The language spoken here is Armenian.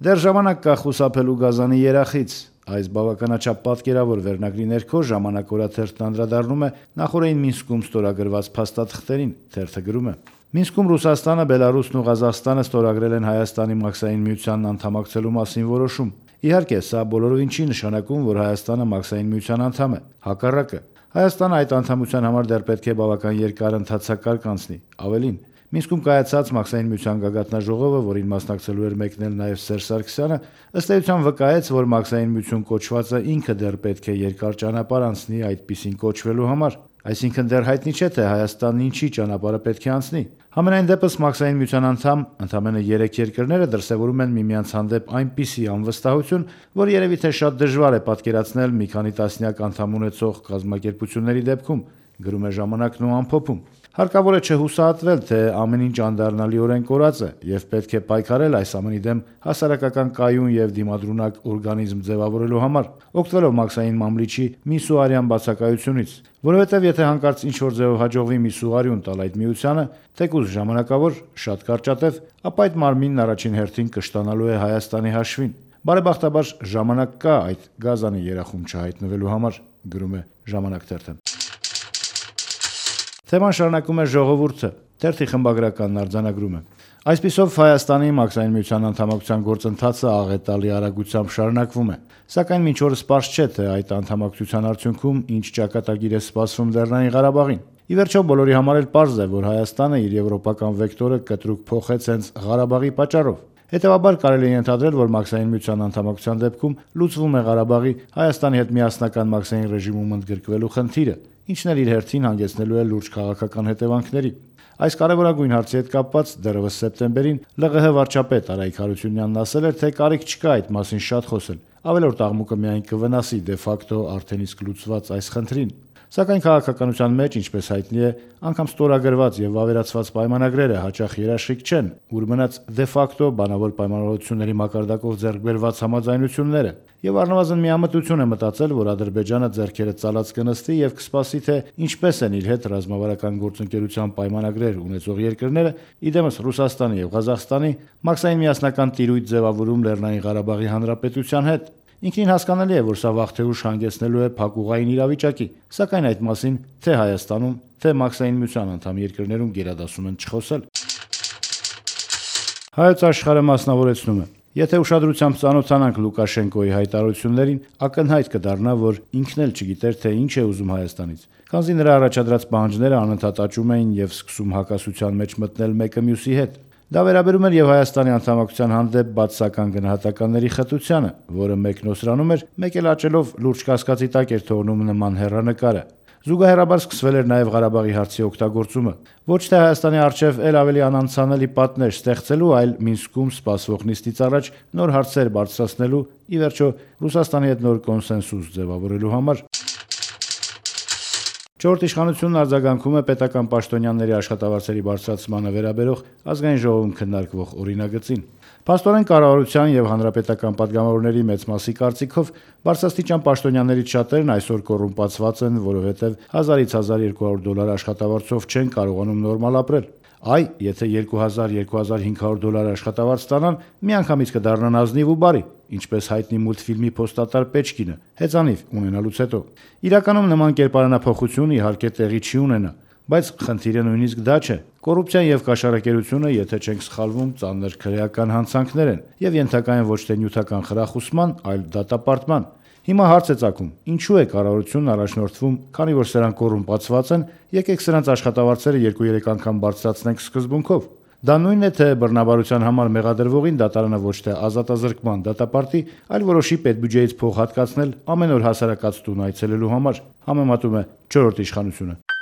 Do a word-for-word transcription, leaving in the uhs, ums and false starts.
Դեռ ժամանակ կա խուսափելու Գազանի երախից։ Այս բավականաչափ պատկերավոր վերնագրի ներքո «Ժամանակ» օրաթերթն անդրադառնում է նախօրեին Մինսկում ստորագրված փաստաթղթերին։ Թերթը գրում է. Մինսկում Ռուսաստանը, Բելարուսն ու Ղազախստանը ստորագրել են Հայաստանի Մաքսային միությանն անդամակցելու մասին որոշում։ Իհարկե, սա բոլորովին չի նշանակում, որ Հայաստանը Մաքսային միության անդամ է։ Հակառակը, Հայաստանը այդ անդամության համար դեռ պետք է բավական երկար ընթացակարգ անցնի։ Ավելին, Մինսկում կայացած Մաքսային միության գագաթնաժողովը, որին մասնակցելու էր մեկնել նաև Սերժ Սարգսյանը, ըստ էության վկայեց, որ Մաքսային միություն կոչվածը ինքը դեռ պետք է երկար ճանապարհ անցնի այդպիսին կոչվելու համար։ Այսինքն դեռ հայտնի չէ, թե Հայաստանն ինչի ճանապարհը պետք է անցնի։ Համենայն դեպս Մաքսային միության անդամ ընդամենը երեք երկրները դրսևորում են միմյանց հանդեպ այնպիսի անվստահություն, որ երևի թե շատ դժվար է պատկերացնել մի քանի տասնյակ անդամ ունեցող կազմակերպությունների դեպքում, գրում է Ժամանակն ու ամփոփում։ Հարկավոր է չհուսահատվել, թե ամեն ինչ անդառնալիորեն կորած է եւ պետք է պայքարել այս ամենի դեմ հասարակական կայուն եւ դիմադրունակ օրգանիզմ ձևավորելու համար, օգտվելով Մաքսային մամլիչի միսուարյան բացակայությունից, որովհետեւ եթե հանկարծ ինչ-որ ձևով հաջողվի միսուարյուն տալ այդ միությանը, թեկուզ ժամանակավոր, շատ կարճատև, ապա այդ մարմինն առաջին հերթին կշտանալու է Հայաստանի հաշվին։ Բարեբախտաբար ժամանակ կա այդ Գազանի երախում չհայտնվելու համար, գրում է Ժամանակ թերթը։ Թեման շարունակում է Ժողովուրդը։ Թերթի խմբագրականն արձանագրում է. Այսպիսով Հայաստանի Մաքսային միության անդամակցության գործընթացը աղետալի արագությամբ շարունակվում է, սակայն մինչ օրս պարզ չէ, թե այդ անդամակցության արդյունքում ինչ ճակատագիր է սպասվում Լեռնային Ղարաբաղին։ Ի վերջո բոլորի համար էլ պարզ է, որ Հայաստանը իր եվրոպական վեկտորը կտրուկ փոխեց հենց Ղարաբաղի պատճառով։ Հետևաբար կարելի է ենթադրել, որ Մաքսային միության անդամակցության դեպքում լուծվում է Ղարաբաղի Հայաստանի հետ միասնական մաքսային ռեժիմում ընդգրկվելու խնդիրը, ինչն էլ իր հերթին հանգեցնելու է լուրջ քաղաքական հետևանքների։ Այս կարևորագույն հարցի հետ կապված դեռևս սեպտեմբերին ԼՂՀ վարչապետ Արայք Հարությունյանն ասել էր, թե կարիք չկա այդ մասին շատ խոսել, ավելորդ աղմուկը միայն կվնասի դե ֆակտո արդեն իսկ լուծված այս խնդրին։ Սակայն քաղաքականության մեջ, ինչպես հայտնի է, անգամ ստորագրված եւ վավերացված պայմանագրերը հաճախ երաշխիք չեն, ուր մնաց դե ֆակտո բանավոր պայմանավորությունների մակարդակով ձեռք բերված համաձայնությունները։ Եվ առնվազն միամտություն է մտածել, որ Ադրբեջանը ձեռքերը ծալած կնստի եւ կսպասի, թե ինչպես են իր հետ ռազմավարական գործընկերության պայմանագրեր ունեցող երկրները, իդեմս Ռուսաստանի եւ Ղազախստանի մաքսային միասնական տիրույթ ձևավորում Լեռնային Ղարաբաղի Հանրապետության հետ։ Ինքնին հասկանալի է, որ սա վաղ թե ուշ հանգեցնելու է փակուղային իրավիճակի, սակայն այդ մասին թե Հայաստանում, թե Մաքսային միության անդամ երկրներում գերադասում են չխոսել։ Հայոց Աշխարհը մասնավորեցնում է. Եթե ուշադրությամբ ծանոթանանք Լուկաշենկոյի հայտարարություններին, ակնհայտ կդառնա, որ ինքն էլ չգիտեր, թե ինչ է ուզում Հայաստանից։ Քանզի նրա առաջադրած պահանջները անընդհատ աճում էին եւ սկսում հակասության մեջ մտնել մեկը մյուսի հետ։ Դա վերաբերում էր եւ Հայաստանի անդամակցության հանդեպ բացասական գնահատականների խտությանը, որը մեկնոսրանում էր, մեկ էլ աճելով լուրջ կասկածի տակ էր թողնում նման հեռանկարը։ Զուգահեռաբար սկսվել էր նաև Ղարաբաղի հարցի օգտագործումը, ոչ թե Հայաստանի առջև էլ ավելի անանցանելի պատնեշ ստեղծելու, այլ Մինսկում սպասվող նիստից առաջ նոր հարցեր բարձրացնելու, ի վերջո Ռուսաստանի հետ նոր կոնսենսուս ձևավորելու համար։ Չորրորդ իշխանությունն արձագանքում է պետական պաշտոնյաների աշխատավարձերի բարձրացմանը վերաբերող ազգային ժողովում քննարկվող օրինագծին։ Փաստորեն կառավարության եւ հանրապետական падգամավորների մեծ մասի կարծիքով բարձրաստիճան պաշտոնյաներից շատերն այսօր կոռումպացված են, որովհետեւ հազարից հազար երկու հարյուր դոլար աշխատավարձով չեն կարողանում նորմալ ապրել։ Այ, եթե երկու հազար - երկու հազար հինգ հարյուր դոլար աշխատավարձ ստանան, միանգամից կդառնան ազնիվ ու բարի, ինչպես հայտնի մուլտֆիլմի փոստատար Պեչկինը, հեծանիվ ունենալուց հետո։ Իրականում նման կերպարանափոխություն իհարկե տեղի չի ունենա, բայց խնդիրը նույնիսկ դա չէ։ Կոռուպցիան եւ կաշառակերությունը, եթե չենք սխալվում, ծանր քրեական հանցանքներ են եւ ենթակա են ոչ թե նյութական խրախուսման, այլ դատապարտման։ Հիմա հարց է ծագում. ինչու է կառավարությունն առաջնորդվում, քանի որ սրանք կոռումպացված են, եկեք սրանց աշխատավարձերը երկու երեք անգամ բարձրացնենք սկզբունքով։ Դա նույնն է, թե բռնաբարության համար մեղադրվողին դատարանը ոչ թե ազատազրկման դատապարտի, այլ որոշի պետբյուջեից փող հատկացնել ամեն օր հասարակած տուն այցելելու համար, համեմատում է չորրորդ իշխանությունը։